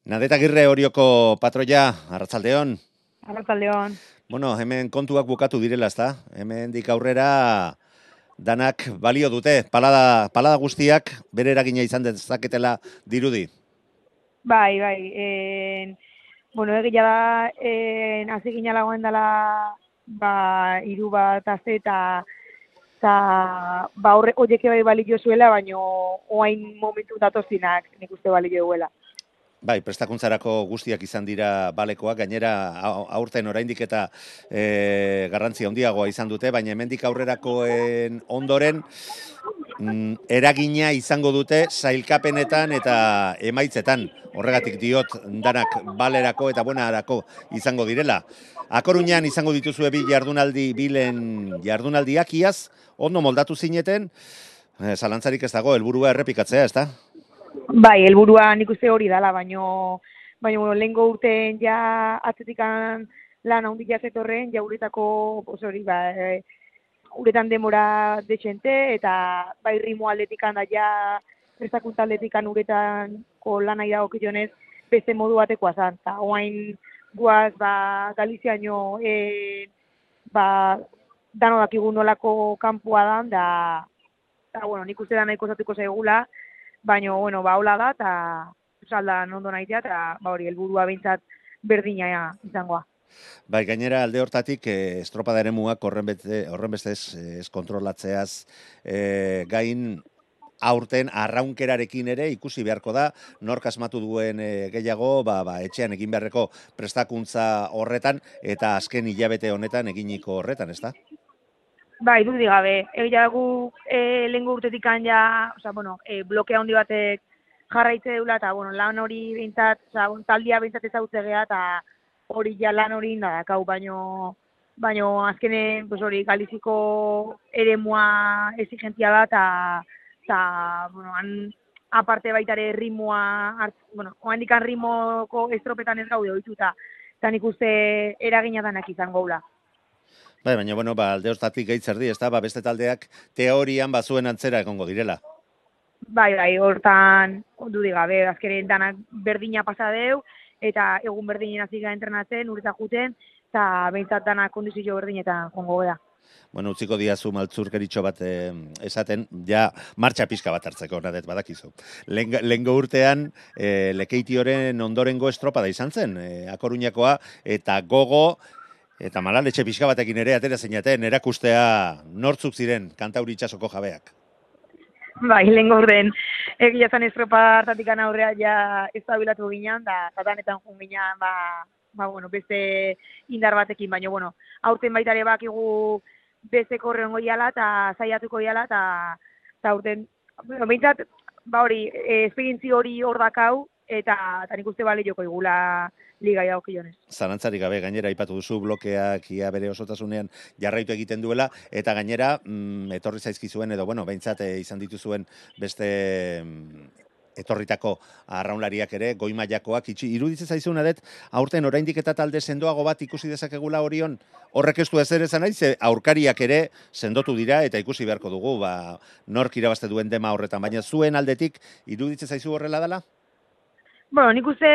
Nadet Agirre Orioko patroia, arratsaldeon. Arratsaldeon. Bueno, hemen kontuak bukatu direla, ezta? Hemendik aurrera danak balio dute. Palada guztiak bere eragina izan dezaketela dirudi. Bai. Bueno, egia da, hasi ginalagoen dela, hiru bat aste eta horiek bai balio zuela, baino oain momentu datozinak nik uste balio duela. Bai, prestakuntzarako guztiak izan dira balekoak, gainera aurten oraindik eta garrantzia handiagoa izan dute, baina hemendik aurrerakoen ondoren eragina izango dute sailkapenetan eta emaitzetan. Horregatik diot danak balerako eta buenarako izango direla. Akoruñan izango dituzue bilen jardunaldiak iaz, ondo moldatu zineten, zalantzarik ez dago, helburua errepikatzea, ez da? Bai, helburua nik uste hori dela, baino lehengo urten ja atzetikan lan handia zetorren, ja uretako, uretan demora dexente, eta bai rimo aldetikan da ja prestakuntza aldetikan uretanko lan nahi dago kionez beste modu batekoa zan. Eta oain guaz, Galiziaino dano dakigu nolako kanpua dan, da bueno, nik uste da nahiko zatuko zaigula, baina, hola da, eta saldan ondo nahitea, eta hori, helburua behintzat berdina izangoa. Bai, gainera alde hortatik estropada eremuak horren bestez ez kontrolatzeaz gain aurten arraunkerarekin ere ikusi beharko da, nork asmatu duen gehiago, etxean egin beharreko prestakuntza horretan, eta azken hilabete honetan eginiko horretan, ez da? Bai, dudik gabe. Egia dugu lehengo urtetik ja, blokea handi batek jarraitze deula, eta lan hori behintzat, taldia behintzat ezagutze geha, eta hori ja lan hori indadakau, baino azkenen hori Galiziko eremua exigentzia da, eta aparte baitare ritmoa, oandikan ritmoko estropetan ez gaude ohituta, eta nik uste eragina danak izango gula. Bai, baina, alde hortatik gaitzerdi, ez da, beste taldeak teorian bazuen antzera egongo direla. Bai, hortan dudik gabe, azkenen danak berdina pasa deu, eta egun berdinen hasi gara entrenatzen, ureta juten, eta behintzat danak kondizio berdinetan jongo da. Bueno, utziko diazu maltzurkeritxo bat esaten, ja martxa pixka bat hartzeko, Nadet, badakizu. Lehengo urtean, Lekeitioren ondorengo estropada izan zen, Akoruñakoa, eta gogo, eta malaletxe pixka batekin ere atera zeinaten, erakustea nortzuk ziren Kantauri itsasoko jabeak. Bai, lehengo urten, egia zan estropa hartatik aurrea ja ez da bilatu ginen, da danetan jun ginen, beste indar batekin, baina, aurten baitare bakigu beste korreon goiala eta zaiatuko goiala, eta aurten, behintzat, esperientzi hori hor dakau, eta nik uste bale joko igula liga jaukionez. Zalantzarik gabe, gainera aipatu duzu blokeak ia bere osotasunean jarraitu egiten duela, eta gainera etorri zaizkizuen edo behintzat izan dituzuen beste etorritako arraunlariak ere, goi mailakoak iruditzen zaizu, Nadet, aurten oraindik eta talde sendoago bat ikusi dezakegula Orion, horrek ez du ezer esan nahi, ze aurkariak ere sendotu dira eta ikusi beharko dugu, nork irabazte duen dema horretan, baina zuen aldetik iruditzen zaizu horrela dela? Nik uste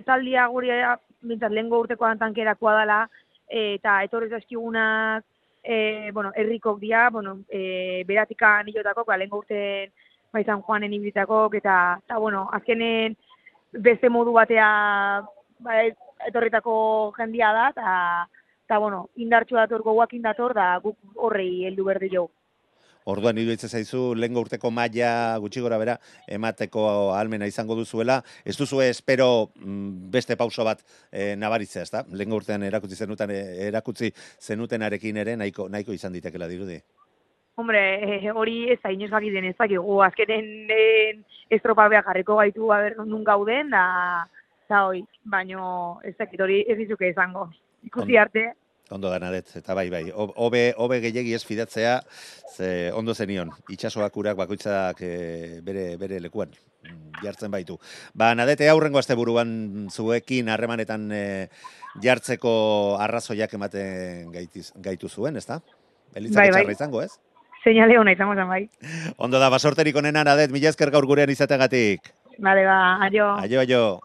taldia guri bintzat lehengo urteko tankerakoa dela, eta etorri zaizkigunak herrikok dira, beratikan hilotakok, lehengo urten San Juanen ibitakok, eta azkenen beste modu batea etorritako jendia da, eta indartxu dator, goguak indator, da guk horrei heldu berdi jo. Orduan iruditzen zaizu lehengo urteko maila gutxi gora bera emateko ahalmena izango duzuela, ez duzue espero beste pauso bat nabaritzea, ezta? Lehengo urtean erakutsi zenutenarekin ere nahiko izan ditekela dirudi. Hombre, hori ez da inoz bakiten ez dakigu, azkenen estropa behar jarriko gaitu nun gauden, da hoi, baino ez dakit hori ez dizuke izango. Ikusi arte. Ondo da, Nadet, eta bai, hobe gehiegi ez fidatzea, ze ondo zenion, itxasoak urak bakoitzak bere lekuan jartzen baitu. Nadet, aurrengo asteburuan zuekin harremanetan jartzeko arrazoiak ematen gaitu zuen, ez da? Elitzak etxarra izango, ez? Seinale hona izango zen, bai. Ondo da, basorterik onena, Nadet, mila esker gaur gurean izateagatik. Bale, aio. Aio.